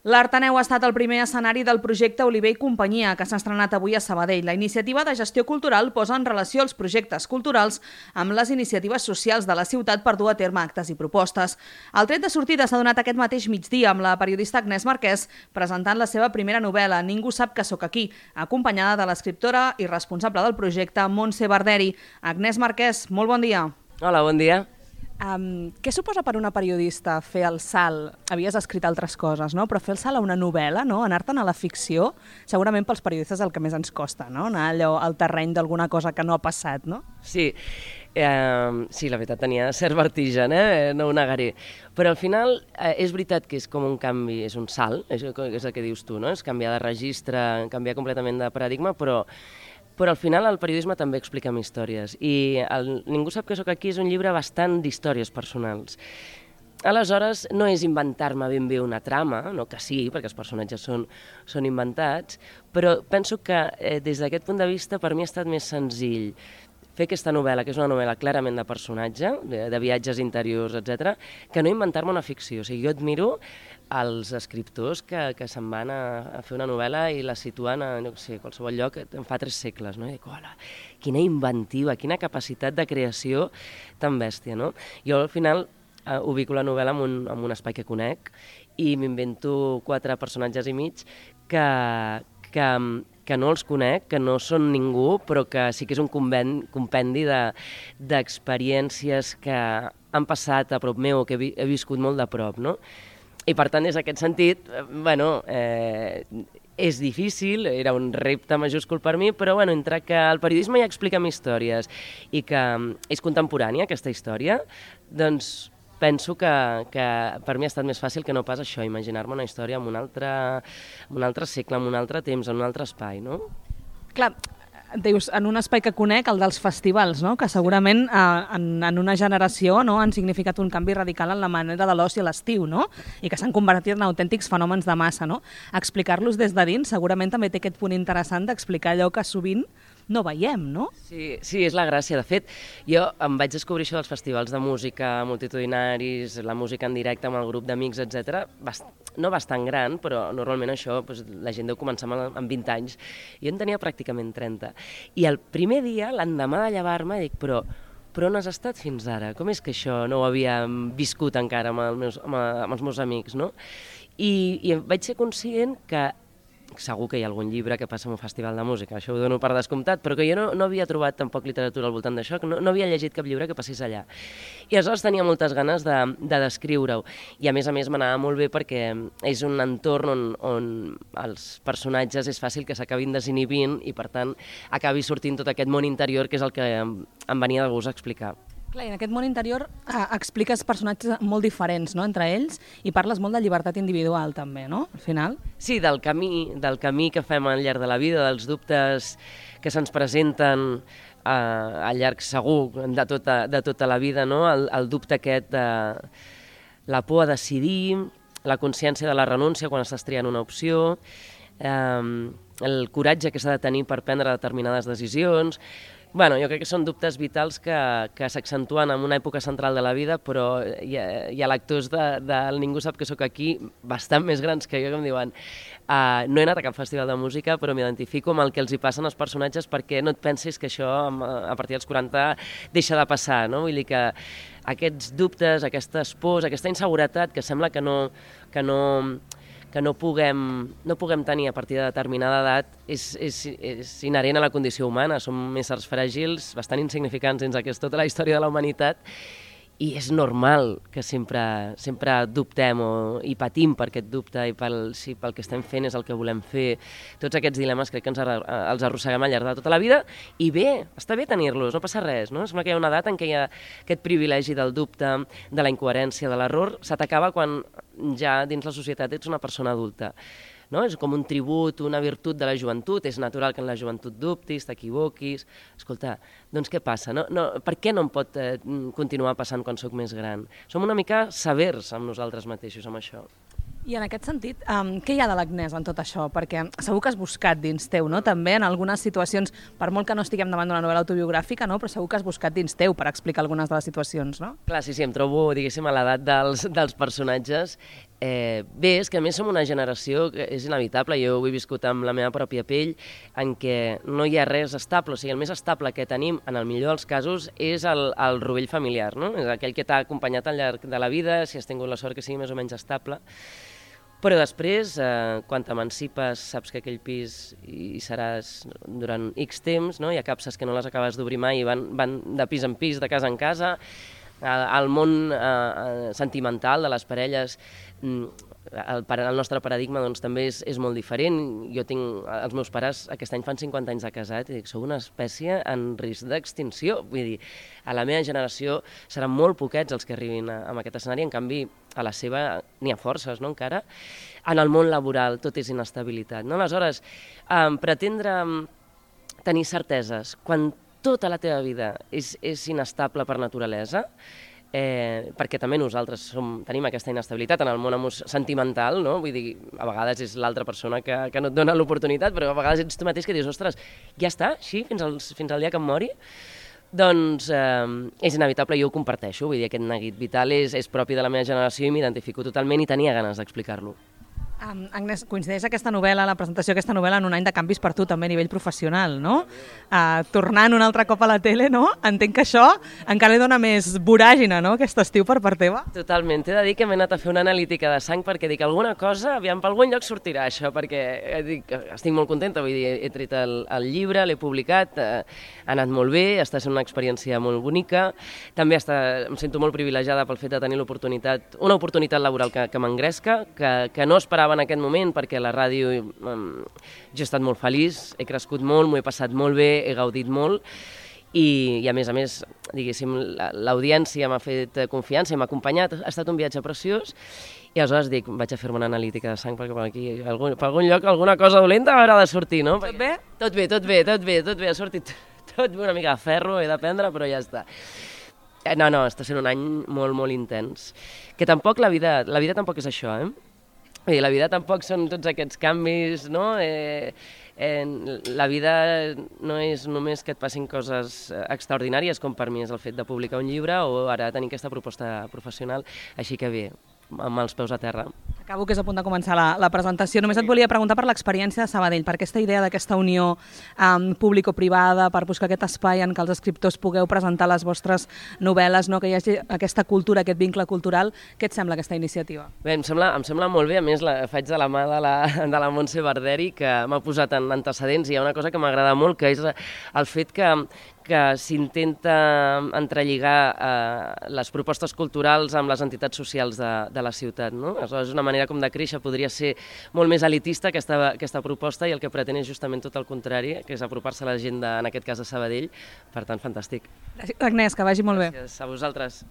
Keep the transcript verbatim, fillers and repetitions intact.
L'Arteneu ha estat el primer escenari del projecte Oliver i Companyia, que s'ha estrenat avui a Sabadell. La iniciativa de gestió cultural posa en relació els projectes culturals amb les iniciatives socials de la ciutat per dur a terme actes i propostes. El tret de sortida s'ha donat aquest mateix migdia amb la periodista Agnès Marquès presentant la seva primera novel·la, Ningú sap que sóc aquí, acompanyada de l'escriptora i responsable del projecte, Montse Barderi. Agnès Marquès, molt bon dia. Hola, bon dia. Um, què suposa per una periodista fer el salt? Havies escrit altres coses, no? Però fer el salt a una novel·la, no? Anar-te'n a la ficció, segurament pels periodistes el que més ens costa, no? Anar allò al terreny d'alguna cosa que no ha passat, no? Sí, eh, sí, la veritat tenia cert vertigen, eh? No ho negaré. Però al final eh, és veritat que és com un canvi, és un salt, és, és el que dius tu, no? És canviar de registre, canviar completament de paradigma, però Però al final el periodisme també explica històries i el Ningú sap que sóc aquí és un llibre bastant d'històries personals. Aleshores, no és inventar-me ben bé una trama, no que sí, perquè els personatges són, són inventats, però penso que eh, des d'aquest punt de vista per mi ha estat més senzill fer aquesta novel·la, que és una novel·la clarament de personatge, de, de viatges interiors, etcètera, que no inventar-me una ficció. O sigui, jo admiro els escriptors que, que se'n van a, a fer una novel·la i la situen a no sé, qualsevol lloc en fa tres segles. No? I dic, hola, quina inventiva, quina capacitat de creació tan bèstia. No? Jo al final eh, ubico la novel·la en un, en un espai que conec i m'invento quatre personatges i mig que, que, que no els conec, que no són ningú, però que sí que és un compendi d'experiències de, que han passat a prop meu o que he, he viscut molt de prop, no? I per tant, des d'aquest sentit, bueno, eh, és difícil, era un repte majúscul per mi, però bueno, entre que el periodisme ja explica històries i que és contemporània aquesta història, doncs penso que, que per mi ha estat més fàcil que no pas això, imaginar-me una història en un altre, en un altre segle, en un altre temps, en un altre espai, no? Clar, dius, en un espai que conec, el dels festivals, no? Que segurament eh, en, en una generació no, han significat un canvi radical en la manera de l'oci a l'estiu, no? I que s'han convertit en autèntics fenòmens de massa, no? Explicar-los des de dins segurament també té aquest punt interessant d'explicar allò que sovint no veiem, no? Sí, sí, és la gràcia. De fet, jo em vaig descobrir això dels festivals de música multitudinaris, la música en directe amb el grup d'amics, etcètera, bast no bastant gran, però normalment això doncs, la gent deu començar amb vint anys. Jo en tenia pràcticament trenta. I el primer dia, l'endemà de llevar-me, dic, però, però on has estat fins ara? Com és que això no ho havia viscut encara amb, els meus, amb, amb els meus amics, no? I, i vaig ser conscient que segur que hi ha algun llibre que passa en un festival de música, això ho dono per descomptat, però que jo no, no havia trobat tampoc literatura al voltant d'això, que no, no havia llegit cap llibre que passés allà. I aleshores tenia moltes ganes de, de descriure-ho. I a més a més m'anava molt bé perquè és un entorn on, on els personatges és fàcil que s'acabin desinhibint i per tant acabi sortint tot aquest món interior que és el que em, em venia de gust a explicar. Clar, en aquest món interior eh, expliques personatges molt diferents, no?, entre ells i parles molt de llibertat individual també, no?, al final. Sí, del camí, del camí que fem al llarg de la vida, dels dubtes que se'ns presenten eh, al llarg segur de tota, de tota la vida, no?, el, el dubte aquest de la por a decidir, la consciència de la renúncia quan estàs triant una opció, eh, el coratge que s'ha de tenir per prendre determinades decisions. Bueno, jo crec que són dubtes vitals que, que s'accentuen en una època central de la vida, però hi ha, hi ha lectors de, de Ningú sap que sóc aquí bastant més grans que jo que em diuen uh, no he anat a cap festival de música però m'identifico amb el que els hi passen als personatges perquè no et pensis que això a partir dels quaranta deixa de passar, no? Vull dir que aquests dubtes, aquestes pors, aquesta inseguretat que sembla que no... Que no que no puguem, no puguem tenir a partir de determinada edat és, és, és inherent a la condició humana. Som éssers fràgils, bastant insignificants dins aquesta tota la història de la humanitat i és normal que sempre, sempre dubtem o, i patim per aquest dubte i pel, si pel que estem fent és el que volem fer. Tots aquests dilemes crec que ens ar els arrosseguem al llarg de tota la vida i bé, està bé tenir-los, no passa res. No? Sembla que hi ha una edat en què hi ha aquest privilegi del dubte, de la incoherència, de l'error, se t'acaba quan ja dins la societat ets una persona adulta. No? És com un tribut, una virtut de la joventut, és natural que en la joventut dubtis, t'equivoquis. Escolta, doncs què passa? No, no, per què no em pot eh, continuar passant quan sóc més gran? Som una mica severs amb nosaltres mateixos, amb això. I en aquest sentit, um, què hi ha de l'Agnès en tot això? Perquè segur que has buscat dins teu, no? També en algunes situacions, per molt que no estiguem davant d'una novel·la autobiogràfica, no? Però segur que has buscat dins teu per explicar algunes de les situacions, no? Clar, sí, sí, em trobo, diguéssim, a l'edat dels, dels personatges Eh, bé, és que a més som una generació que és inevitable, jo ho he viscut amb la meva pròpia pell, en què no hi ha res estable, o sigui, el més estable que tenim, en el millor dels casos, és el, el rovell familiar, no? És aquell que t'ha acompanyat al llarg de la vida, si has tingut la sort que sigui més o menys estable. Però després, eh, quan t'emancipes, saps que aquell pis hi seràs durant X temps, no? Hi ha capses que no les acabes d'obrir mai i van, van de pis en pis, de casa en casa. El món eh, sentimental de les parelles, el, el nostre paradigma doncs, també és, és molt diferent. Jo tinc, els meus pares aquest any fan cinquanta anys de casat i dic, sou una espècie en risc d'extinció. Vull dir, a la meva generació seran molt poquets els que arribin a, a aquest escenari, en canvi a la seva n'hi ha forces, no, encara. En el món laboral tot és inestabilitat, no? Aleshores, eh, pretendre tenir certeses quan tota la teva vida és, és inestable per naturalesa, eh, perquè també nosaltres som, tenim aquesta inestabilitat en el món sentimental, no? Vull dir, a vegades és l'altra persona que, que no et dona l'oportunitat, però a vegades ets tu mateix que dius, ostres, ja està, així, fins, als, fins al dia que em mori? Doncs eh, és inevitable, jo ho comparteixo, vull dir, aquest neguit vital és, és propi de la meva generació i m'identifico totalment i tenia ganes d'explicar-lo. Um, Agnès, coincideix aquesta novel·la, la presentació d'aquesta novel·la en un any de canvis per tu també a nivell professional, no? Uh, tornant un altre cop a la tele, no? Entenc que això encara li dona més voràgina, no?, aquest estiu per part teva. Totalment, t'he de dir que m'he anat a fer una analítica de sang perquè dic alguna cosa, aviam, per algun lloc sortirà això, perquè dic, estic molt contenta, vull dir, he tret el, el llibre, l'he publicat, eh, ha anat molt bé, està sent una experiència molt bonica, també està, em sento molt privilegiada pel fet de tenir l'oportunitat, una oportunitat laboral que, que m'engresca, que, que no esperava en aquest moment, perquè a la ràdio um, jo he estat molt feliç, he crescut molt, m'ho he passat molt bé, he gaudit molt i, i a més a més, diguéssim, l'audiència m'ha fet confiança i m'ha acompanyat, ha estat un viatge preciós i aleshores dic, vaig a fer-me una analítica de sang perquè per aquí, algun, per algun lloc, alguna cosa dolenta haurà de sortir, no? Tot bé? Tot bé, tot bé, tot bé, tot bé, ha sortit tot bé, una mica de ferro, he de prendre, però ja està. No, no, està sent un any molt, molt intens. Que tampoc la vida, la vida tampoc és això, eh? I la vida tampoc són tots aquests canvis, no? Eh, eh, la vida no és només que et passin coses extraordinàries, com per mi és el fet de publicar un llibre o ara tenir aquesta proposta professional, així que bé, amb els peus a terra. Acabo, que és a punt de començar la, la presentació. Només et volia preguntar per l'experiència de Sabadell, per aquesta idea d'aquesta unió um, público-privada, per buscar aquest espai en què els escriptors pugueu presentar les vostres novel·les, no? Que hi hagi aquesta cultura, aquest vincle cultural. Què et sembla aquesta iniciativa? Bé, em sembla, em sembla molt bé, a més la faig de la mà de la, de la Montse Barderi, que m'ha posat en antecedents, i hi ha una cosa que m'agrada molt, que és el fet que que s'intenta entrelligar eh, les propostes culturals amb les entitats socials de, de la ciutat, no? Aleshores, una manera com de créixer podria ser molt més elitista aquesta, aquesta proposta i el que pretén és justament tot el contrari, que és apropar-se a la gent, de, en aquest cas de Sabadell. Per tant, fantàstic. Gràcies, Agnès, que vagi molt bé. Gràcies a vosaltres.